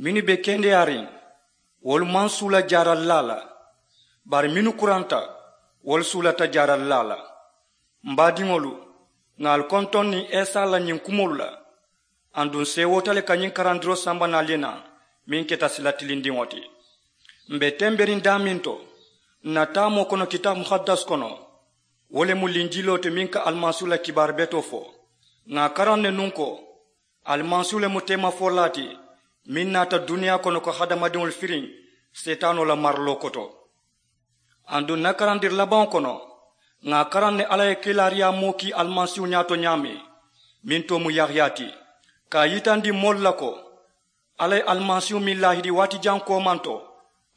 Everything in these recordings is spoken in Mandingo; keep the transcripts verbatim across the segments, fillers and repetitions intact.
Mennu be kendeyaariŋ, wolu maŋ suula jaaralilaa la, bari mennu kuranta, wolu suulata jaaralilaa la. M baadiŋolu, ŋà ali kontoŋ niŋ isa la ñiŋ kumoolu la. Aduŋ seewoota le ka ñiŋ karandiroo samba naalu ye naa, meŋ keta sila tilindiŋo ti. M be temberiŋ daameŋ to, n na taamoo kono kitaabu muhaddas kono, wo le mu linjiloo ti meŋ ka alimasiihu la kibaari betoo fo. Ŋà a karaŋ ne nuŋ ko, alimasiihu le mu teemafolaa ti meŋ naata duniyaa kono ka hadamadiŋolu firiŋ seetaanoo la mariloo koto. Aduŋ n na karandiri labaŋo kono, ŋà a karaŋ ne alla ye kiilaariyaa moo kii alimasiihu ñaato ñaameŋ, meŋ too mu yahiya ti, ka a yitandi moolu la ko, alla ye alimasiihu meŋ laahidi waati jaŋ koomaŋ to,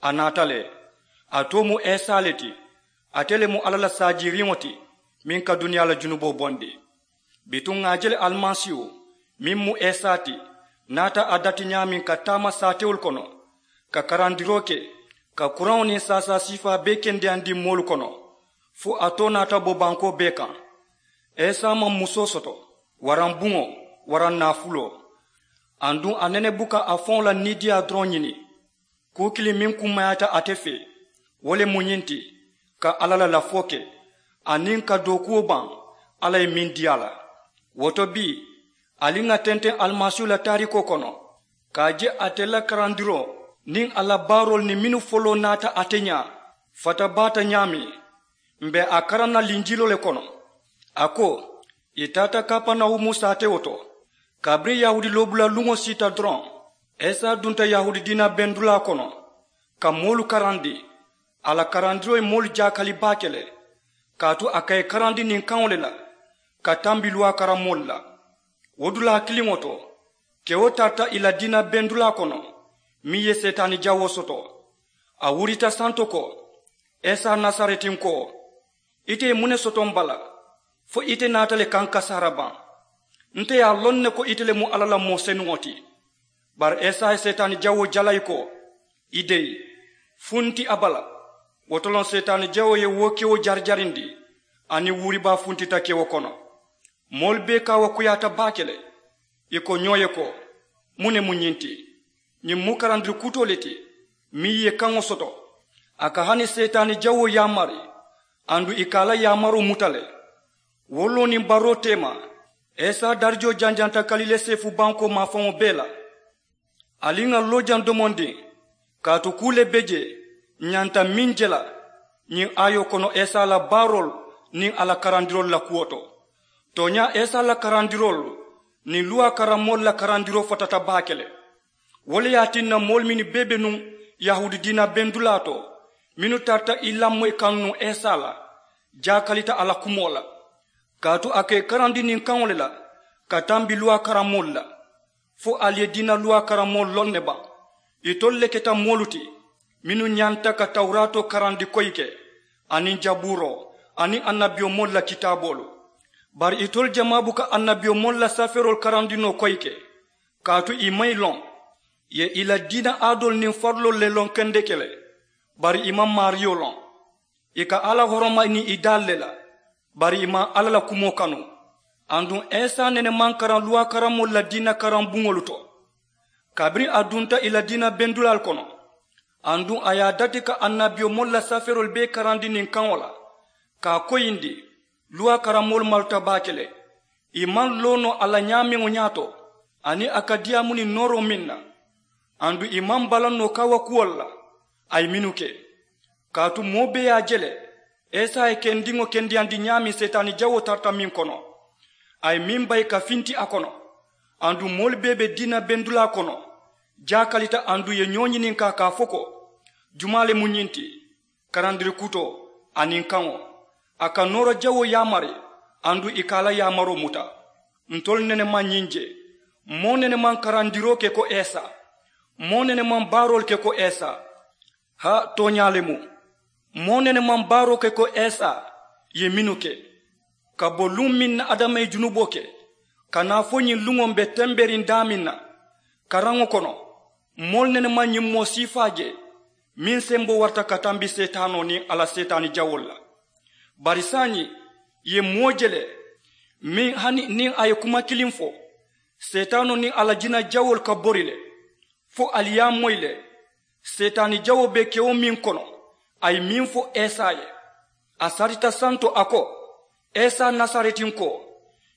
a naata le. A too mu isa le ti. Ate le mu alla la saajiiriŋo ti, meŋ ka duniyaa la junuboo bondi. Bituŋ ŋà a je le alimasiihu, meŋ mu isa ti, naata a dati ñaameŋ ka taama saatewolu kono, ka karandiroo ke, ka kuraŋo niŋ saasaa siifaa bee kendeyandi moolu kono, fo a too naata bo bankoo bee kaŋ. Isa maŋ musoo soto, waraŋ buŋo, waraŋ naafuloo. Aduŋ a nene buka a faŋo la niidiyaa doroŋ ñini. Kuu kiliŋ meŋ kummayaata ate fee, wo le mu ñiŋ ti, ka alla la lafoo ke, aniŋ ka dookuwo baŋ alla ye meŋ dii a la. Wo to bii, ali ŋà tenteŋ alimasiihu la taariikoo kono, ka a je ate la karandiroo niŋ a la baaroolu niŋ mennu foloo naata ate ñaa, fata baata ñaameŋ. M be a karaŋ na linjiloo le kono. A ko, ì taata kapanawumu saatewo to. Kabiriŋ yahuudi loobula luŋo siita doroŋ, isa dunta yahuudi diina bendulaa kono, ka moolu karandi. A la karandiroo ye moolu jaakali baake le, kaatu a ka ì karandi niŋ kaŋo le la, ka tambi luwaa karammoolu la. Wo dulaa kiliŋo to, kewo tarata ì la diina bendulaa kono, meŋ ye seetaani jawoo soto. A wurita santo ko, isa nasaretinkoo, ite ye muŋ ne soto m bala, fo ite naata le ka ǹ kasaara baŋ? Nte ye a loŋ ne ko ite le mu alla la moo senuŋo ti. Bari isa ye seetaani jawoo jalayi ko, i deyi, funti a bala. Wo to loŋ seetaani jawoo ye wo kewo jarijarindi, aniŋ wuuribaa funtita kewo kono. Moolu bee kaawakuyaata baake le. Ì ko ñoo ye ko, muŋ ne mu ñiŋ ti? Ñiŋ mu karandiri kutoo le ti, meŋ ye kaŋo soto. A ka hani seetaani jawoo yaamari, aduŋ ì ka a la yaamaroo muta le. Wo loo niŋ baroo teema, isa darijoo janjanta kalilee seefu bankoo maafaŋo bee la. Ali ŋà loo jaŋ domondiŋ, kaatu kuu le be jee, ǹ ñanta meŋ je la. Ñiŋ aayoo kono isa la baaroolu niŋ a la karandiroolu la kuwo to. Tooñaa isa la karandiroolu niŋ luwaa karammoolu la karandiroo fatata baake le. Wo le ye a tinna moolu mennu bee be nuŋ yahuudi diina bendulaa to, mennu tarata ì lamoyi kaŋ nuŋ isa la, jaakalita a la kumoo la. Kaatu a ka ì karandi niŋ kaŋo le la, ka tambi luwaa karammoolu la. Fo ali ye diina luwaa karammoolu loŋ ne baŋ? Itolu le keta moolu ti, mennu ñanta ka tawuraatoo karandi koyi ke, aniŋ jabuuroo, aniŋ annabiyomoolu la kitaaboolu. Bari itolu jamaa buka annabiyomoolu la safeeroolu karandi noo koyi ke, kaatu ì maŋ ì loŋ. Ì ye ì la diina aadoolu niŋ fariloolu le loŋ kendeke le, bari ì maŋ maariyo loŋ. Ì ka alla horoma niŋ ì daalu le la, bari ì maŋ alla la kumoo kanu. Aduŋ isa nene maŋ karaŋ luwaa karammoolu la diina karaŋ buŋolu to. Kabiriŋ a dunta ì la diina bendulaalu kono, aduŋ a ye a dati ka annabiyomoolu la safeeroolu bee karandi niŋ kaŋo la, ka a koyindi. Luwaa karammoolu maluta baake le. Ì maŋ loo noo a la ñaameŋo ñaato, aniŋ a ka diyaamu niŋ nooroo meŋ na. Aduŋ ì maŋ balaŋ noo kaawakuwolu la, a ye mennu ke. Kaatu moo bee ye a je le, isa ye kendiŋo kendeyandi ñaameŋ seetaani jawoo tarata meŋ kono. A ye meŋ bayi ka finti a kono. Aduŋ moolu bee be diina bendulaa kono, jaakalita, aduŋ ì ye ñoo ñininkaa ka a fo ko, jumaa le mu ñiŋ ti? Karandiri kutoo aniŋ kaŋo, a ka noora jawoo yaamari, aduŋ ì ka a la yaamaroo muta. Ntolu nene maŋ ñiŋ je. Moo nene maŋ karandiroo ke ko isa. Moo nene maŋ baaroolu ke ko isa. Haa, tooñaa le mu. Moo nene maŋ baaroo ke ko isa. Ì ye mennu ke, ka bo luŋ meŋ na adama ye junuboo ke, ka naa fo ñiŋ luŋo m be temberiŋ daameŋ na. Karaŋo kono, moolu nene maŋ ñiŋ moo siifaa je, meŋ semboo warata ka tambi seetaanoo niŋ a la seetaani jawoolu la. Bari saayiŋ, ì ye moo je le, meŋ hani niŋ a ye kuma kiliŋ fo, seetaanoo niŋ a la jina jawoolu ka bori le. Fo ali ye a moyi le. Seetaani jawoo be kewo meŋ kono, a ye meŋ fo esa ye. A sarita santo a ko, esa nasaretinkoo,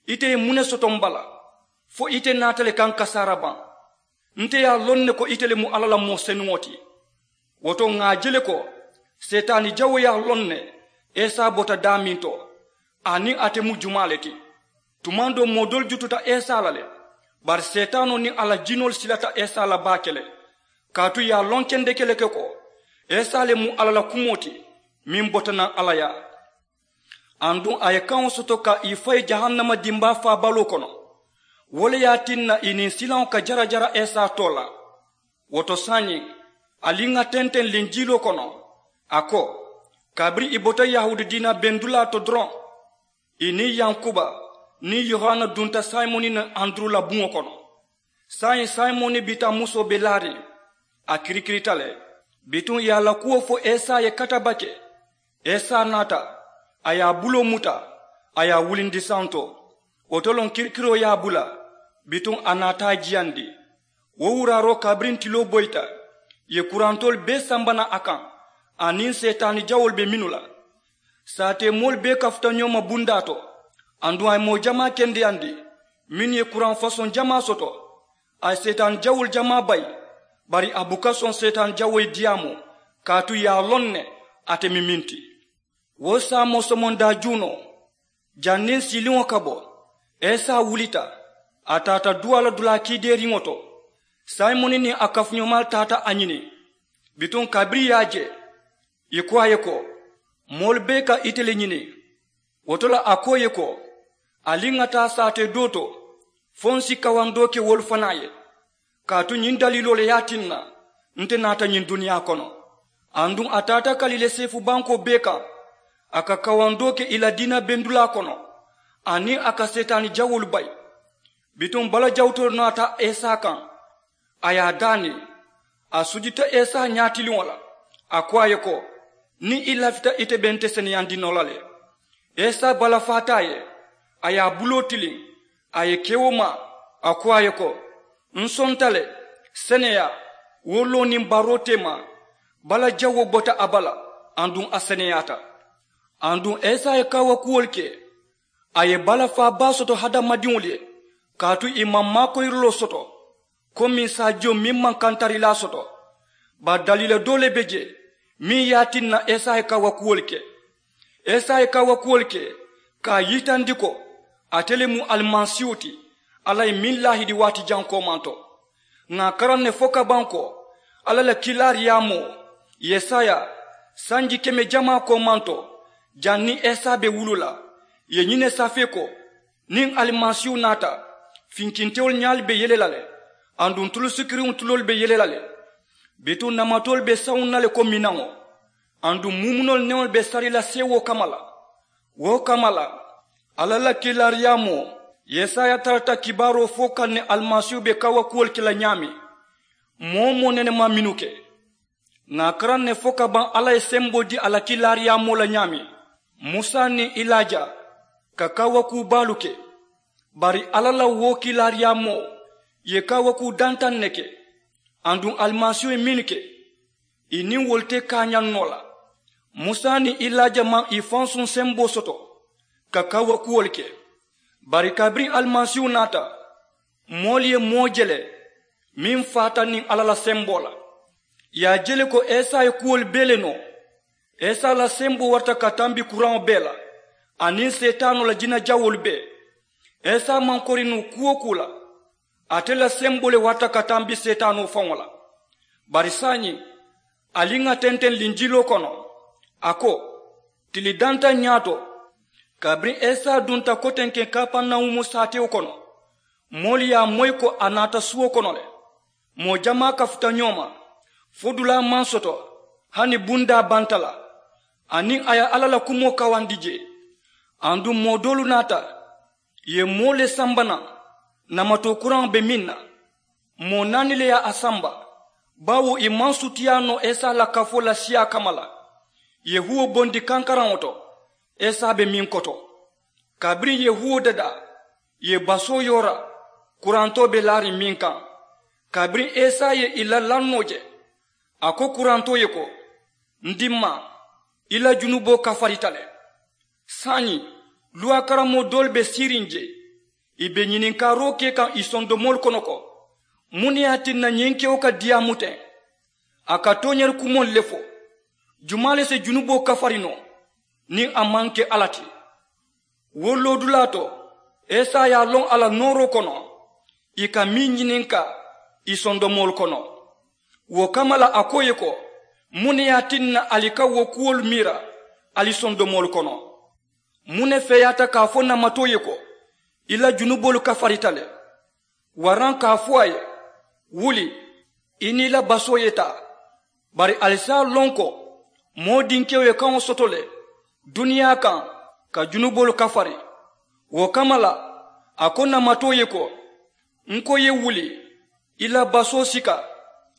ite ye muŋ ne soto m bala? Fo ite naata le ka n kasaara baŋ? Nte ye a loŋ ne ko ite le mu alla la moo senuŋo ti. Wo to ŋà a je le ko seetaani jawoo ye a loŋ ne esa bota daameŋ to, aniŋ ate mu jumaa le ti. Tumaŋ doo moo doolu jututa esa la le. Bari seetaanoo niŋ a la jinoolu silata esa la baake le. Kaatu ì ye a loŋ kendeke le ke ko esa le mu alla la kumoo ti, meŋ bota naŋ alla yaa. Aduŋ a ye kaŋo soto ka ì fayi jahannama dimbaa faabaloo kono. Wo le ye a tinna ì niŋ silaŋo ka jarajara esa too la. Wo to saayiŋ, ali ŋà tenteŋ linjiiloo kono, a ko, kabiriŋ ì bota yahuudi diina bendulaa to doroŋ, ì niŋ yankuba niŋ yohana dunta simoni niŋ anduru la buŋo kono. Saayiŋ simoni bitamusoo be laariŋ, a kirikirita le. Bituŋ ì ye a la kuwo fo esa ye katabake. Esa naata, a ye a buloo muta, a ye a wulindi santo. Wo to loŋ kirikiroo ye a bula, bituŋ a naata a jiyandi. Wo wuraaroo kabiriŋ tiloo boyita, ì ye kurantoolu bee samba naŋ a kaŋ, aniŋ seetaani jawoolu be mennu la. Saatee moolu bee kafuta ñoo ma bundaa to. Aduŋ a ye moo jamaa kendeyandi mennu ye kuraŋ fasoŋ jamaa soto. A ye seetaani jawoolu jamaa bayi, bari a buka soŋ seetaani jawoo ye diyaamoo, kaatu ì ye a loŋ ne ate mu meŋ ti. Wo saamoo somondaa juunoo, janniŋ siiliŋo ka bo, esa wulita, a taata duwaa la dulaa kiideeriŋo to. Simoni niŋ a kafuñoomaalu taata a ñini. Bituŋ kabiriŋ ì ye a je, ì ko a ye ko, moolu bee ka ite le ñini. Wo to la a ko ì ye ko, ali ŋà taa saatee doo to, fo ǹ si kawandoo ke wolu fanaa ye. Kaatu ñiŋ daliiloo le ye a tinna nte naata ñiŋ duniyaa kono. Aduŋ a taata kalile seefu bankoo bee kaŋ, a ka kawandoo ke ì la diina bendulaa kono, aniŋ a ka seetaani jawoolu bayi. Bituŋ bala jawutoo naata esa kaŋ, a ye a daani. A sujita esa ñaatiliŋo la, a ko a ye ko, niŋ i lafita ite be nte seneyandi noo la le. Esa balafaata a ye, a ye a buloo tiliŋ, a ye kewo maa, a ko a ye ko, ǹ sonta le, seneyaa, wo loo niŋ baroo teema. Bala jawoo bota a bala, aduŋ a seneyaata. Aduŋ esa ye kaawakuwolu ke, a ye balafaa baa soto hadamadiŋolu ye, kaatu ì maŋ maakoyiriloo soto komi saajiyo meŋ maŋ kantarilaa soto. Bari daliila doo le be jee meŋ ye a tinna esa ye kaawakuwolu ke. Esa ye kaawakuwolu ke ka a yitandi ko ate le mu alimasiihu ti, alla ye meŋ laahidi waati jaŋ koomanto. Ŋà a karaŋ ne fo ka baŋ ko alla la kiilaariyaamoo yesaya sanji keme jamaa koomanto, janniŋ esa be wuluu la, ì ye ñiŋ ne safee ko, niŋ alimasiihu naata, finkintewolu ñaalu be yele la le, aduŋ tulu sikiriŋo tuloolu be yele la le. Bituŋ namatoolu be sawuŋ na le ko minaŋo, aduŋ muumunoolu neŋolu be sari la seewoo kamma la. Wo kamma la, alla la kiilaariyaamoo yesaya tarata kibaaroo fo kaŋ ne alimasiihu be kaawakuwolu ke la ñaameŋ. Moo-wo-moo nene maŋ mennu ke. Ŋà a karaŋ ne fo ka baŋ alla ye semboo dii a la kiilaariyaamoo la ñaameŋ, musa niŋ ilaaja ka kaawakuu baalu ke. Bari alla la wo kiilaariyaamoo ye kaawakuu dantaŋ ne ke. Aduŋ alimasiihu ye mennu ke, ì niŋ wolu te kaañaŋ noo la. Musa niŋ ilaaja maŋ ì fansuŋ semboo soto ka kaawakuwolu ke. Bari kabiriŋ alimasiihu naata, moolu ye moo je le meŋ faata niŋ alla la semboo la. Ì ye a je le ko esa ye kuwolu bee le noo. Esa la semboo warata ka tambi kuraŋo bee la, aniŋ seetaanoo la jinajawoolu bee. Esa maŋ kori noo kuu-wo-kuu la. Ate la semboo le warata ka tambi seetaanoo faŋo la. Bari saayiŋ, ali ŋà tenteŋ linjiiloo kono, a ko, tili dantaŋ ñaato, kabiriŋ esa dunta kotenkeŋ kapernawumu saatewo kono, moolu ye a moyi ko a naata suwo kono le. Moo jamaa kafuta ñoo ma, fo dulaa maŋ soto, hani bundaa banta la. Aniŋ a ye alla la kumoo kawandi jee. Aduŋ moo doolu naata, ì ye moo le samba naŋ, namatoo kuraŋo be meŋ na. Moo naani le ye a samba, baawo ì maŋ sutiyaa noo esa la kafoo la siyaa kamma la. Ì ye huwo bondi kankaraŋo to, esa be meŋ koto. Kabiriŋ ì ye huwo dadaa, ì ye basoo yoora, kurantoo be laariŋ meŋ kaŋ. Kabiriŋ isa ye ì la lannoo je, a ko kurantoo ye ko, n dimmaa, i la junuboo kafarita le. Saayiŋ, luwaa karammoo doolu be siiriŋ jee, ì be ñininkaaroo ke kaŋ ì sondomoolu kono ko, muŋ ne ye a tinna ñiŋ kewo ka diyaamu teŋ? A ka tooñaari kumoolu le fo. Jumaa le si junuboo kafari noo niŋ a maŋ ke alla ti? Wo loodulaa to, isa ye a loŋ a la nooroo kono ì ka meŋ ñininkaa ì sondomoolu kono. Wo kamma la a ko ì ye ko, muŋ ne ye a tinna ali ka wo kuwolu miira ali sondomoolu kono? Muŋ ne feeyaata ka a fo namatoo ye ko, i la junuboolu kafarita le? Waraŋ ka a fo a ye, wuli, i niŋ i la basoo ye taa? Bari ali si a loŋ ko moo dinkewo ye kaŋo soto le duniyaa kaŋ ka junuboolu kafari. Wo kamma la a ko namatoo ye ko, n ko i ye wuli, i la basoo sika,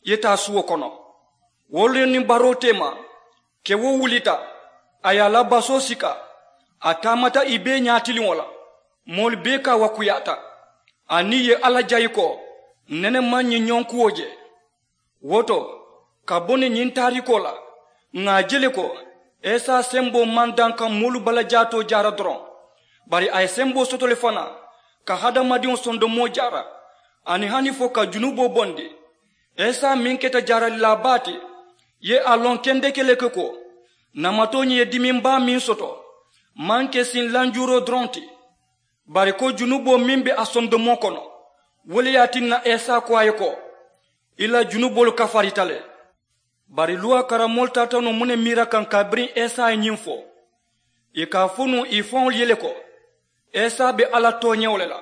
i ye taa suwo kono. Wo le niŋ baroo teema, kewo wulita, a ye a la basoo sika, a taamata ì bee ñaatiliŋo la. Moolu bee kaawakuyaata, aniŋ ì ye alla jayi ko, nene maŋ ñiŋ ñonkuwo je. Wo to, ka bo niŋ ñiŋ taariikoo la, ŋà a je le ko isa semboo maŋ daŋ ka moolu balajaatoo jaara doroŋ, bari a ye semboo soto le fanaa ka hadamadiŋo sondomoo jaara, aniŋ hani fo ka junuboo bondi. Isa meŋ keta jaaralilaa baa ti, ye a loŋ kendeke le ke ko, namatoo ñiŋ ye dimiŋ baa meŋ soto, maŋ ke siŋ lanjuuroo doroŋ ti, bari ko junuboo meŋ be a sondomoo kono. Wo le ye a tinna isa ko a ye ko, i la junuboolu kafarita le. Bari luwaa karammoolu taata noo muŋ ne miira kaŋ kabiriŋ isa ye ñiŋ fo? Ì ka a fo nuŋ ì faŋolu ye le ko, isa be alla tooñewo le la.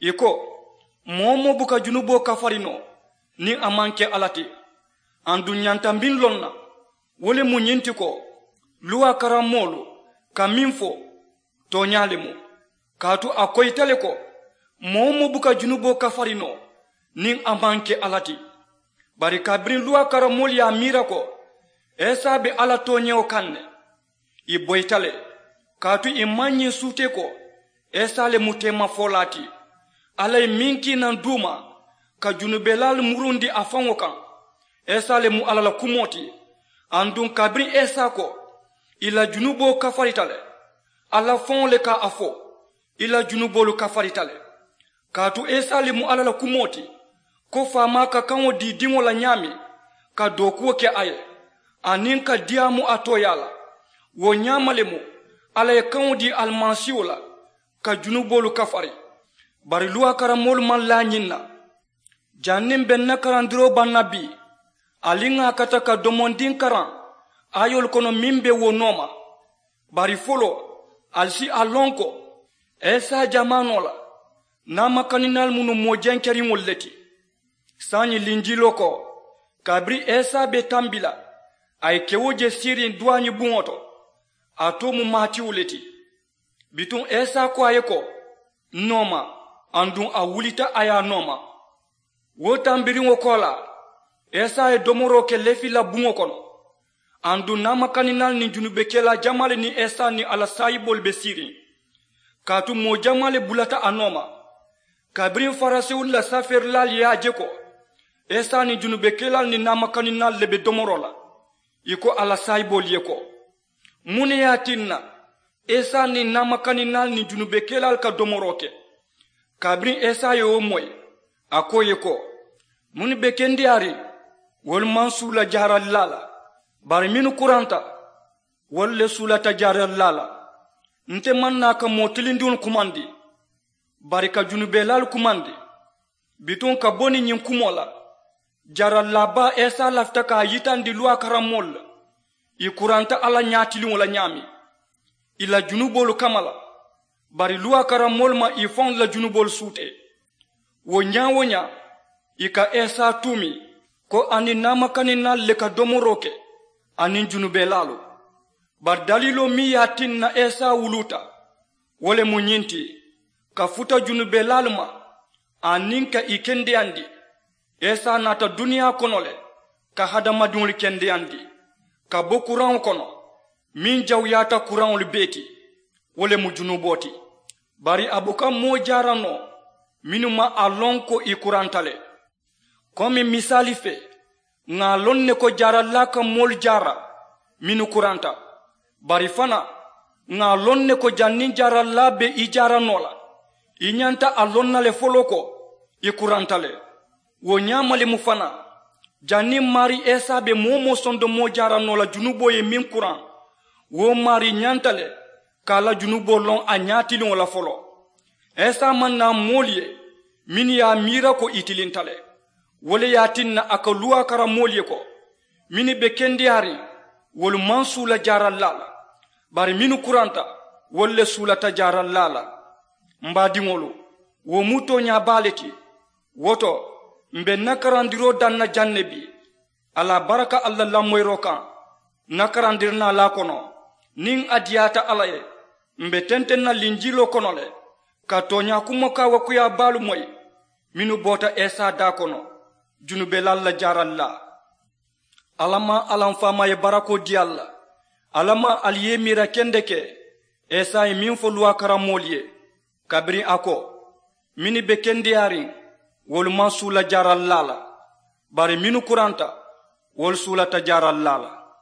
Ì ko, moo-wo-moo buka junuboo kafari noo niŋ a maŋ ke alla ti. Aduŋ ǹ ñanta meŋ loŋ na, wo le mu ñiŋ ti ko, luwaa karammoolu ka meŋ fo, tooñaa le mu. Kaatu a koyita le ko, moo-wo-moo buka junuboo kafari noo niŋ a maŋ ke alla ti. Bari kabiriŋ luwaa karammoolu ye a miira ko isa be alla tooñewo kaŋ ne, ì boyita le. Kaatu ì maŋ ñiŋ suutee ko isa le mu teemafolaa ti. Alla ye meŋ kii naŋ duuma ka junubelaalu murundi a faŋo kaŋ, isa le mu alla la kumoo ti. Aduŋ kabiriŋ isa ko, i la junuboo kafarita le, alla faŋo le ka a fo, i la junuboolu kafarita le. Kaatu isa le mu alla la kumoo ti, ko faamaa ka kaŋo dii diŋo la ñaameŋ, ka dookuwo ke a ye, aniŋ ka diyaamu a tooyaa la. Wo ñaama le mu alla ye kaŋo dii alimasiiho la ka junuboolu kafari. Bari luwaa karammoolu maŋ laa ñiŋ na. Janniŋ be ǹ na karandiroo baŋ na bii, ali ŋà a kata ka domondiŋ karaŋ aayoolu kono meŋ be wo nooma. Bari foloo, ali si a loŋ ko isa jamaanoo la, naamakaninaalu mu nuŋ moo jenkeriŋolu le ti. Saayiŋ linjiloo ko, kabiriŋ isa be tambi la, a ye kewo je siiriŋ duwaañi buŋo to, a too mu maatiwu le ti. Bituŋ isa ko a ye ko, n nooma. Aduŋ a wulita a ye a nooma. Wo tambiriŋo koolaa, isa ye domoroo ke lefi la buŋo kono. Aduŋ naamakaninaalu niŋ junubekelaa jamaalu niŋ isa niŋ a la saayiboolu be siiriŋ. Kaatu moo jamaa le bulata a nooma. Kabiriŋ farisewolu la safeerilaalu ye a je ko isa niŋ junubekelaalu niŋ naamakaninaalu le be domoroo la, ì ko a la saayiboolu ye ko, muŋ ne ye a tinna isa niŋ naamakaninaalu niŋ junubekelaalu ka domoroo ke? Kabiriŋ isa ye wo moyi, a ko ì ye ko, mennu be kendeyaariŋ, wolu maŋ suula jaaralilaa la. Bari mennu kuranta, wolu le suulata jaaralilaa la. Nte maŋ naa ka moo tilindiŋolu kumandi, bari ka junubelaalu kumandi. Bituŋ ka bo niŋ ñiŋ kumoo la, jaaralilaa baa isa lafita ka a yitandi luwaa karammoolu la. Ì kuranta alla ñaatiliŋo la ñaameŋ, ì la junuboolu kamma la. Bari luwaa karammoolu maŋ ì faŋolu la junuboolu suutee. Wo ñaa-wo-ñaa, ì ka isa tuumi ko a niŋ naamakaninaalu le ka domoroo ke, aniŋ junubelaalu. Bari daliiloo meŋ ye a tinna isa wuluuta, wo le mu ñiŋ ti, ka futa junubelaalu ma, aniŋ ka ì kendeyandi. Isa naata duniyaa kono le, ka hadamadiŋolu kendeyandi, ka bo kuraŋo kono, meŋ jawuyaata kuraŋolu bee ti, wo le mu junuboo ti. Bari a buka moo jaara noo mennu maŋ a loŋ ko ì kuranta le. Komi misaali fee, ŋà a loŋ ne ko jaarallaa ka moolu jaara mennu kuranta. Bari fanaa, ŋà a loŋ ne ko janniŋ jaarallaa be i jaara noo la, i ñanta a loŋ na le foloo ko i kuranta le. Wo ñaama le mu fanaa, janniŋ maarii isa be moo-wo-moo sondomoo jaara noo la junuboo ye meŋ kuraŋ, wo maarii ñanta le ka a la junuboo loŋ a ñaatiliŋo la foloo. Isa maŋ naa moolu ye mennu ye a miira ko i tilinta le. Wo le ye a tinna a ka luwaa kara moolu ye ko mennu be kendeyaariŋ, wolu maŋ suula jaarallaa la, bari mennu kuranta, wolu le suulata jaarallaa la. M baadiŋolu, wo mu tooñaa baa le ti. Wo to, m be n na karandiroo daŋ na jaŋ ne bii. A la baraka alla lamoyiroo kaŋ, n na karandirinaalaa kono, niŋ a diyaata alla ye, m be tenteŋ na linjiiloo kono le ka tooñaa kumo kaawakuyaa baalu moyi mennu boota isa daa kono, junubelaalu la jaarallaa. Alla maŋ alla m faamaa ye barakoo dii ali la. Alla maŋ ali ye i miira kendeke isa ye meŋ fo luwaa kara moolu ye, kabiriŋ a ko mennu be kendeyaariŋ, wolu maŋ suula jaarallaa la, bari mennu kuranta, wolu suulata jaarallaa la.